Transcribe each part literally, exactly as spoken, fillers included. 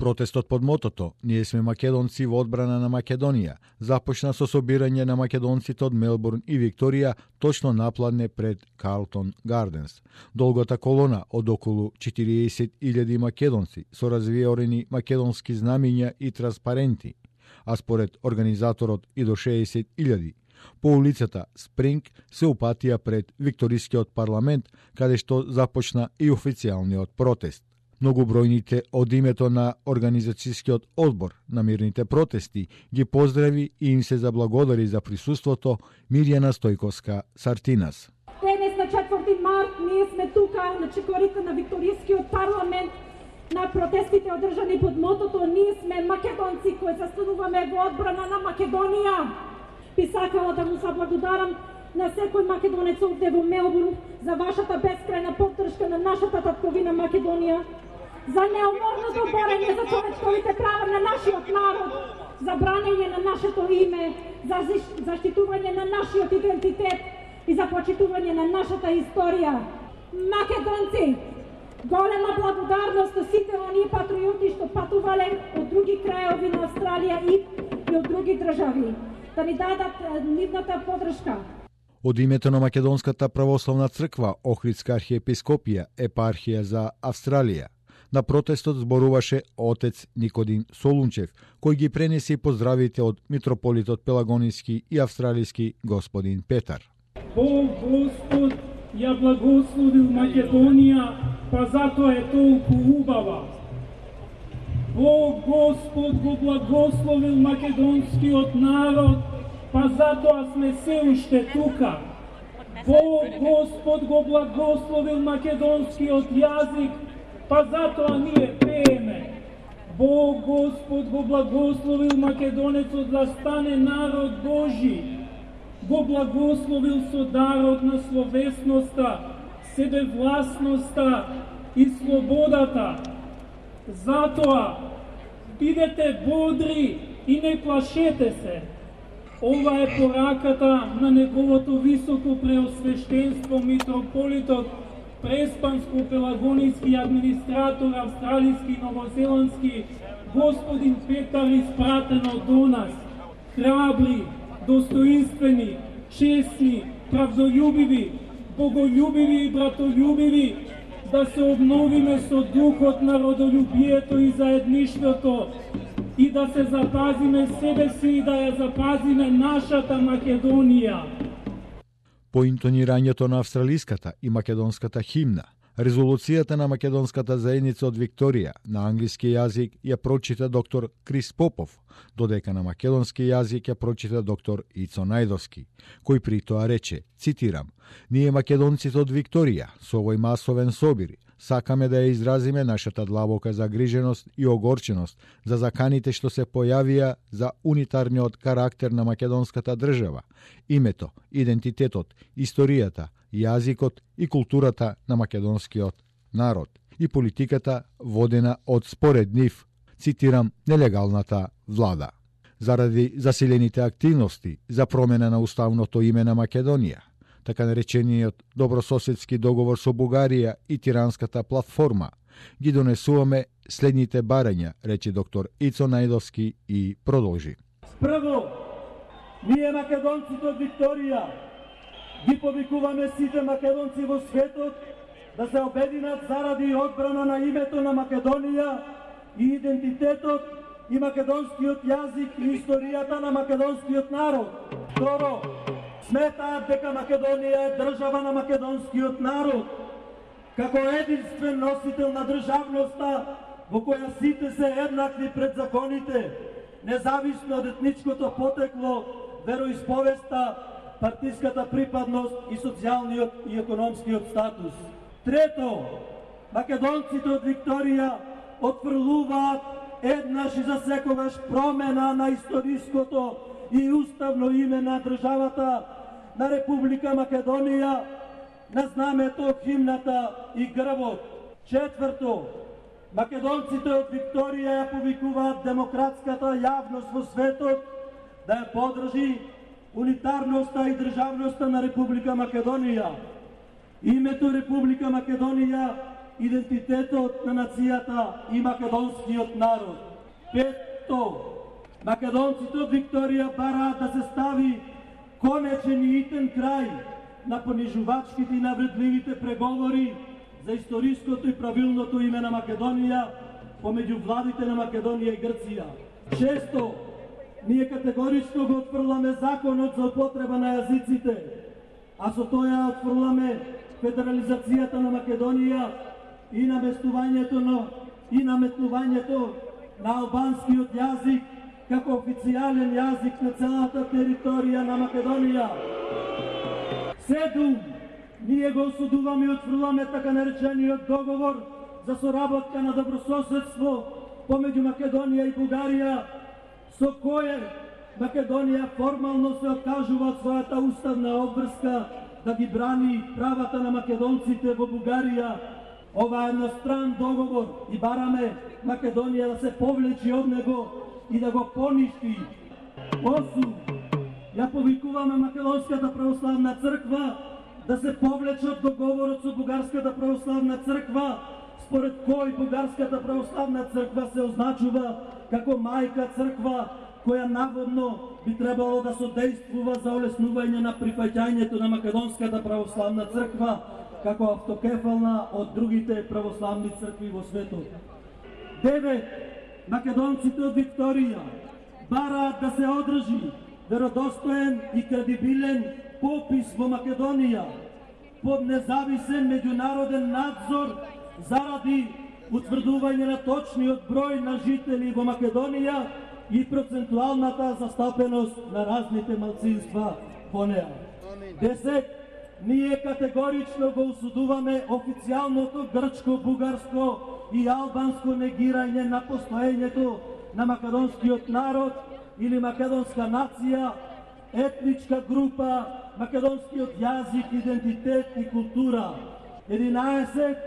Протестот под мотото "Ние сме македонци во одбрана на Македонија" започна со собирање на македонците од Мелбурн и Викторија точно напладне пред Карлтон Гарденс. Долгата колона од околу четириесет илјади македонци со развиорени македонски знамиња и транспаренти, а според организаторот и до шеесет илјади. По улицата Спринг се упатија пред Викторискиот парламент, каде што започна и официјалниот протест. Многобројните од името на Организацијскиот одбор на мирните протести ги поздрави и им се заблагодари за присуството Мирјана Стојковска-Сартинас. Денес на четврти март ние сме тука на чекорите на Викторискиот парламент на протестите одржани под мотото "Ние сме македонци кои застануваме во одбрана на Македонија". Би сакала да му заблагодарам на секој македонец овде во Мелбурн за вашата бескрајна поддршка на нашата татковина Македонија, за неуморното борење за човечковите права на нашиот народ, за бранење на нашето име, за заштитување на нашиот идентитет и за почитување на нашата историја. Македонци, голема благодарност на сите оние патриоти што патувале од други крајови на Австралија и, и од други држави, да ни дадат нивната поддршка. Од името на Македонската православна црква Охридска архиепископија епархија за Австралија, на протестот зборуваше отец Никодим Солунчев, кој ги пренеси поздравите од митрополитот Пелагониски и австралиски господин Петар. Бог Господ ја благословил Македонија, па затоа е толку убава. Бог Господ го благословил македонскиот народ, па затоа сме се уште тука. Бог Господ го благословил македонскиот јазик, па затоа ние пееме. Бог Господ го благословил македонецот да стане народ Божи. Го благословил со дарот на словесноста, себевласноста и слободата. Затоа бидете бодри и не плашете се. Ова е пораката на неговото високо преосвештенство митрополитот Преспанско-пелагониски администратор австралиски и новозеландски господин Петар, испратено до нас. Храбри, достоинствени, честни, правдолюбиви, боголюбиви и братолюбиви, да се обновиме со духот на родолюбието и заедништвото и да се запазиме себе си и да ја запазиме нашата Македонија. По интонирањето на австралиската и македонската химна, резолуцијата на македонската заедница од Викторија на англиски јазик ја прочита доктор Крис Попов, додека на македонски јазик ја прочита доктор Ицо Најдовски, кој при тоа рече, цитирам: "Ние македонците од Викторија со овој масовен собир сакаме да ја изразиме нашата длабока загриженост и огорченост за заканите што се појавија за унитарниот карактер на македонската држава, името, идентитетот, историјата, јазикот и културата на македонскиот народ и политиката водена од според нив", цитирам, нелегалната влада. Заради засилените активности за промена на уставното име на Македонија, така наречениот добрососедски договор со Бугарија и тиранската платформа, ги донесуваме следните барања, рече доктор Ицо Најдовски и продолжи. Прво, ние македонците од Викторија ги повикуваме сите македонци во светот да се обединат заради одбрана на името на Македонија и идентитетот и македонскиот јазик и историјата на македонскиот народ. Второ, сметаат дека Македонија е држава на македонскиот народ, како единствен носител на државноста во која сите се еднакви пред законите, независно од етничкото потекло, вероисповеста, партиската припадност и социјалниот и економскиот статус. Трето, македонците од Викторија отфрлуваат еднаш и за секогаш промена на историското и уставно име на државата на Република Македонија, на знамето, химната и грбот. Четврто, македонците од Викторија ја повикуваат демократската јавност во светот да ја поддржи унитарноста и државноста на Република Македонија. Името Република Македонија идентитетот на нацијата и македонскиот народ. Петто, македонците од Викторија бараат да се стави конечен и итен крај на понижувачките и навредливите преговори за историското и правилното име на Македонија помеѓу владите на Македонија и Грција. Шесто, ние категорично го отфрламе законот за употреба на јазиците, а со тоа отфрламе федерализацијата на Македонија и наместувањето на и наметнувањето на албанскиот јазик како официјален јазик на целата територија на Македонија. Седум, ние го осудуваме и отфрламе така наречениот договор за соработка на добрососедство помеѓу Македонија и Бугарија, со кое Македонија формално се откажува од својата уставна обврска да ги брани правата на македонците во Бугарија. Ова е едностран договор и бараме Македонија да се повлечи од него и да го поништи. Осум, ја повикуваме Македонската православна црква да се повлече од договорот со Бугарската православна црква, според кој Бугарската православна црква се означува како мајка црква, која наводно би требало да содействува за олеснување на прифаќањето на Македонската православна црква како автокефална од другите православни цркви во светот. Девет, македонците од Викторија бараат да се одржи веродостоен и кредибилен попис во Македонија под независен меѓународен надзор заради утврдување на точниот број на жители во Македонија и процентуалната застапеност на разните малцинства во неа. Десет, ние категорично го осудуваме официјалното грчко, бугарско и албанско негирање на постоењето на македонскиот народ или македонска нација, етничка група, македонскиот јазик, идентитет и култура. единаесет,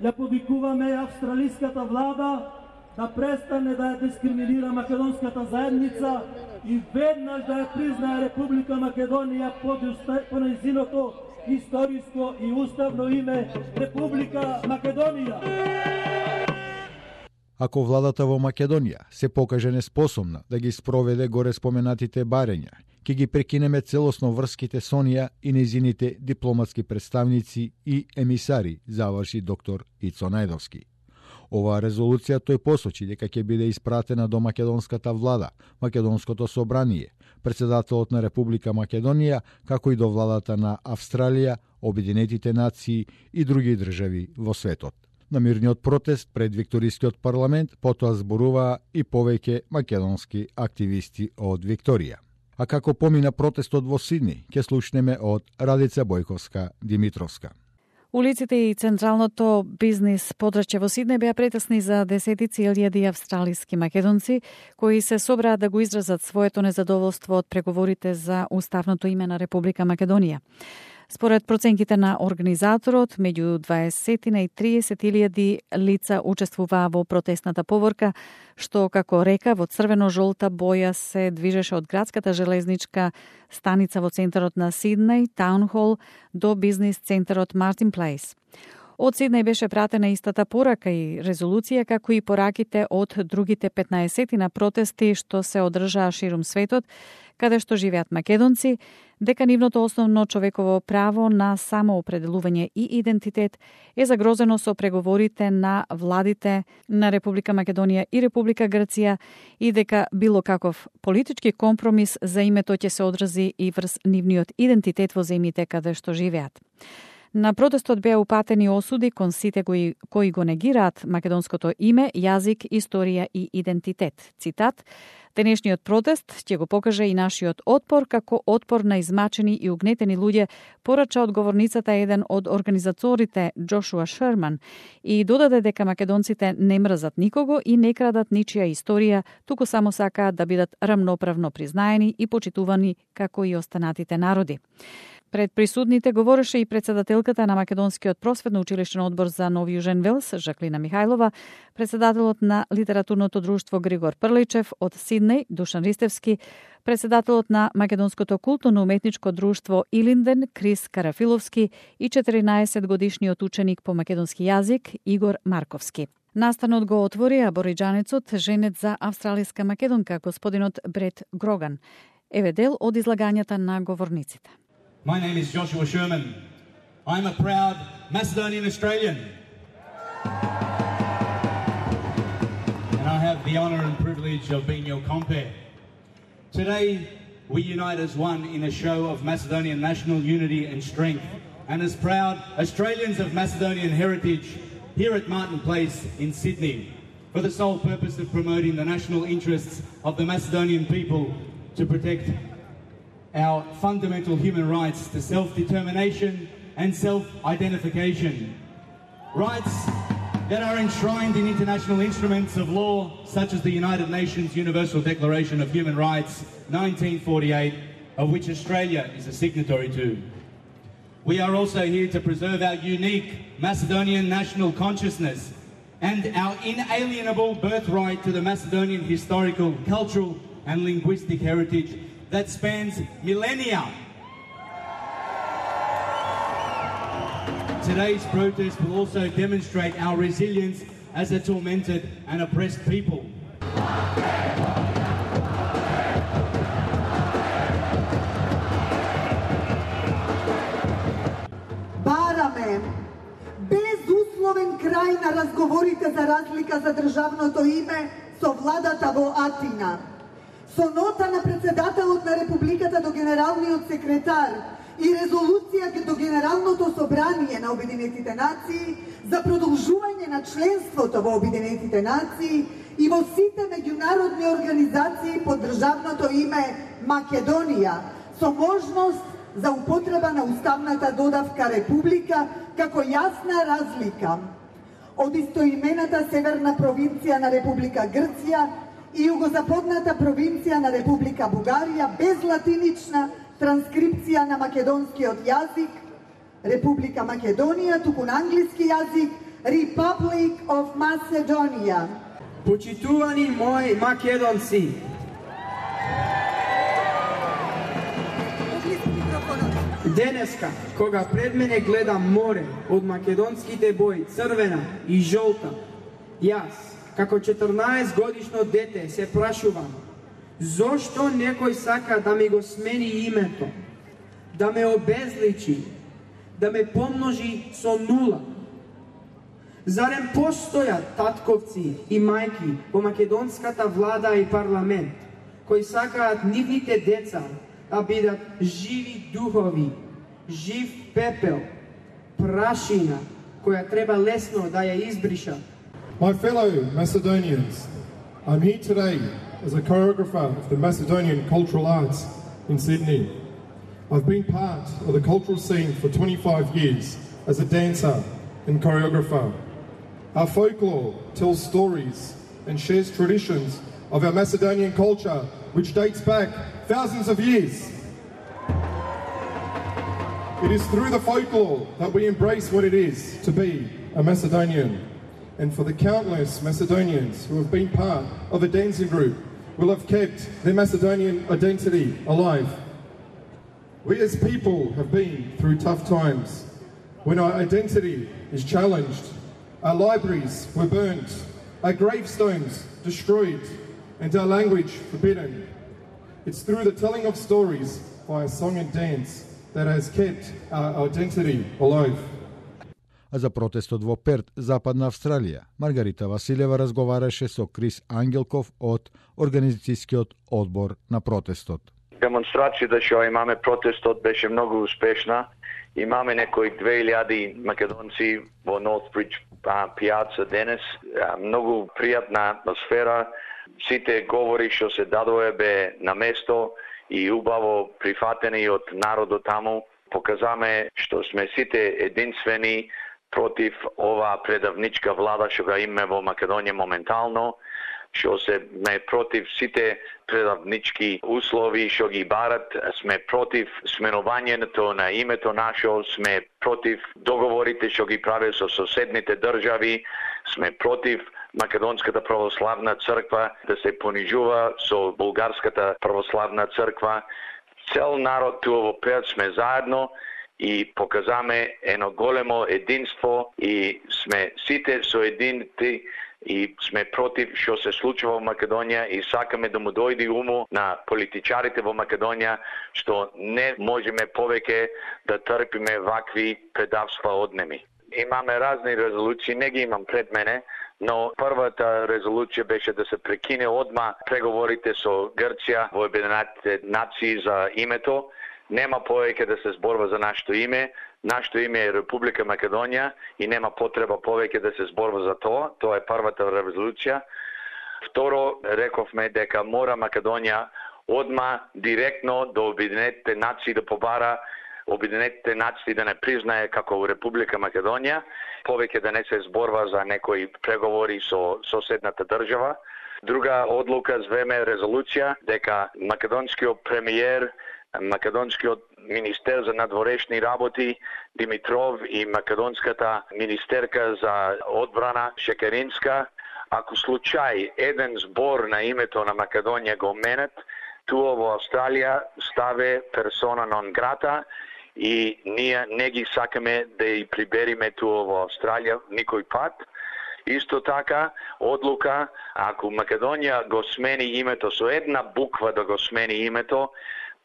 ја повикуваме австралиската влада да престане да ја дискриминира македонската заедница и веднаш да ја признае Република Македонија под по нејзиното историско и уставно име Република Македонија. Ако владата во Македонија се покаже неспособна да ги спроведе горе споменатите барења, ќе ги прекинеме целосно врските со неа и нејзините дипломатски представници и емисари, заврши доктор Ицо Најдовски. Оваа резолуција тој посочи дека ќе биде испратена до македонската влада, Македонското собрание, председателот на Република Македонија, како и до владата на Австралија, Обединетите нации и други држави во светот. На мирниот протест пред Викторискиот парламент потоа зборуваа и повеќе македонски активисти од Викторија. А како помина протестот во Сидни, ќе слушнеме од Радица Бојковска Димитровска. Улиците и централното бизнис подрачје во Сиднеј беа претесни за десетици илјади австралиски македонци, кои се собраа да го изразат своето незадоволство од преговорите за уставното име на Република Македонија. Според проценките на организаторот, меѓу дваесет и триесет илјади лица учествуваа во протестната поворка, што, како река, во црвено-жолта боја се движеше од градската железничка станица во центарот на Сиднеј, Таунхол, до бизнис центарот Мартин Плейс. Од Сиднеј беше пратена истата порака и резолуција, како и пораките од другите петнаесет на протести што се одржаа ширум светот, каде што живеат македонци, дека нивното основно човеково право на самоопределување и идентитет е загрозено со преговорите на владите на Република Македонија и Република Грција и дека било каков политички компромис за името ќе се одрази и врз нивниот идентитет во земјите каде што живеат. На протестот беа упатени осуди кон сите кои, кои го негираат македонското име, јазик, историја и идентитет. Цитат: "Денешниот протест ќе го покаже и нашиот отпор како отпор на измачени и угнетени луѓе", порача одговорницата еден од организаторите Джошуа Шерман и додаде дека македонците не мрзат никого и не крадат ничија историја, туку само сакаат да бидат рамноправно признаени и почитувани како и останатите народи. Пред присутните говореше и председателката на Македонскиот просветно училишен одбор за Нов Јужен Велс, Жаклина Михајлова, председателот на Литературното друштво Григор Прличев од Сиднеј, Душан Ристевски, председателот на Македонското културно-уметничко друштво Илинден, Крис Карафиловски и четиринаесет годишниот ученик по македонски јазик Игор Марковски. Настанот го отвори абориџанецот, женет за австралиска македонка, господинот Брет Гроган. Еве дел од излагањата на говорниците. My name is Joshua Sherman. I'm a proud Macedonian Australian. And I have the honour and privilege of being your compere. Today, we unite as one in a show of Macedonian national unity and strength, and as proud Australians of Macedonian heritage here at Martin Place in Sydney, for the sole purpose of promoting the national interests of the Macedonian people to protect our fundamental human rights to self-determination and self-identification. Rights that are enshrined in international instruments of law such as the United Nations Universal Declaration of Human Rights nineteen forty-eight, of which Australia is a signatory to. We are also here to preserve our unique Macedonian national consciousness and our inalienable birthright to the Macedonian historical, cultural and linguistic heritage that spans millennia. Today's protest will also demonstrate our resilience as a tormented and oppressed people. Бараме безусловен крај на разговорите за разлика за државното име со владата во Атина. Со нота на председателот на Републиката до генералниот секретар и резолуција до Генералното собрание на Обединетите нации за продолжување на членството во Обединетите нации и во сите меѓународни организации под државното име Македонија, со можност за употреба на уставната додавка Република како јасна разлика од истоимената северна провинција на Република Грција и југозападната провинција на Република Бугарија без латинична транскрипција на македонскиот јазик, Република Македонија, туку на англиски јазик, Republic of Macedonia. Почитувани мои македонци, денеска, кога пред мене гледам море од македонските бои, црвена и жолта, јас, како четрнаесет годишно дете, се прашувам, зошто некој сака да ми го смени името, да ме обезличи, да ме помножи со нула? Зарем постојат татковци и мајки во македонската влада и парламент, кои сакаат нивните деца да бидат живи духови, жив пепел, прашина, која треба лесно да ја избришат? My fellow Macedonians, I'm here today as a choreographer of the Macedonian Cultural Arts in Sydney. I've been part of the cultural scene for twenty-five years as a dancer and choreographer. Our folklore tells stories and shares traditions of our Macedonian culture, which dates back thousands of years. It is through the folklore that we embrace what it is to be a Macedonian. And for the countless Macedonians who have been part of a dancing group, will have kept their Macedonian identity alive. We as people have been through tough times, when our identity is challenged, our libraries were burnt, our gravestones destroyed, and our language forbidden. It's through the telling of stories via song and dance that has kept our identity alive. А за протестот во Перт, Западна Австралија, Маргарита Василева разговараше со Крис Ангелков од организацијскиот одбор на протестот. Демонстрацијата што имаме протестот беше многу успешна. Имаме некои две илјади македонци во Норthбридж пијаца денес. Многу пријатна атмосфера. Сите говори што се дадоа бе на место и убаво прифатени од народот таму. Показаме што сме сите единствени против ова предавничка влада што га имаме во Македонија моментално, што се ме против сите предавнички услови што ги барат, сме против сменувањето на името нашо, сме против договорите што ги праве со соседните држави, сме против Македонската православна црква да се понижува со Булгарската православна црква. Цел народ туа во Перт сме заедно и показаме едно големо единство и сме сите соединети и сме против што се случува во Македонија и сакаме да му дојде уму на политичарите во Македонија што не можеме повеќе да трпиме вакви предавства однеми. Имаме разни резолуции, не ги имам пред мене, но првата резолуција беше да се прекине одма преговорите со Грција во Обединетите нации за името. Нема повеќе да се зборува за нашето име. Нашето име е Република Македонија и нема потреба повеќе да се зборува за тоа. Тоа е првата резолуција. Второ, рековме дека мора Македонија одма директно до Обединетите нации да побара Обединетите нации да не признае како Република Македонија, повеќе да не се зборва за некои преговори со соседната држава. Друга одлука звеме резолуција дека македонскиот премиер, македонскиот министер за надворешни работи Димитров и македонската министерка за одбрана Шекеринска, ако случај еден збор на името на Македонија го менет, туа во Австралија ставе персона нон грата и ние не ги сакаме да ја прибериме туа во Австралија никој пат. Исто така, одлука, ако Македонија го смени името со една буква да го смени името,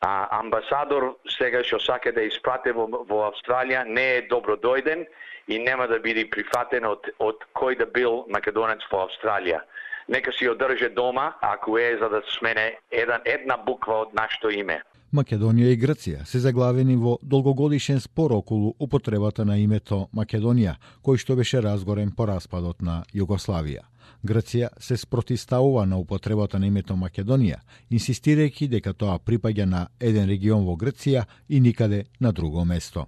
а амбасадор сега што сака да испрате во, во Австралија не е добро дојден и нема да биде прифатен од, од кој да бил македонец во Австралија. Нека си одрже дома, ако е за да смене една, една буква од нашето име. Македонија и Грција се заглавени во долгогодишен спор околу употребата на името Македонија, кој што беше разгорен по распадот на Југославија. Грција се спротивставува на употребата на името Македонија, инсистирајќи дека тоа припаѓа на еден регион во Грција и никаде на друго место.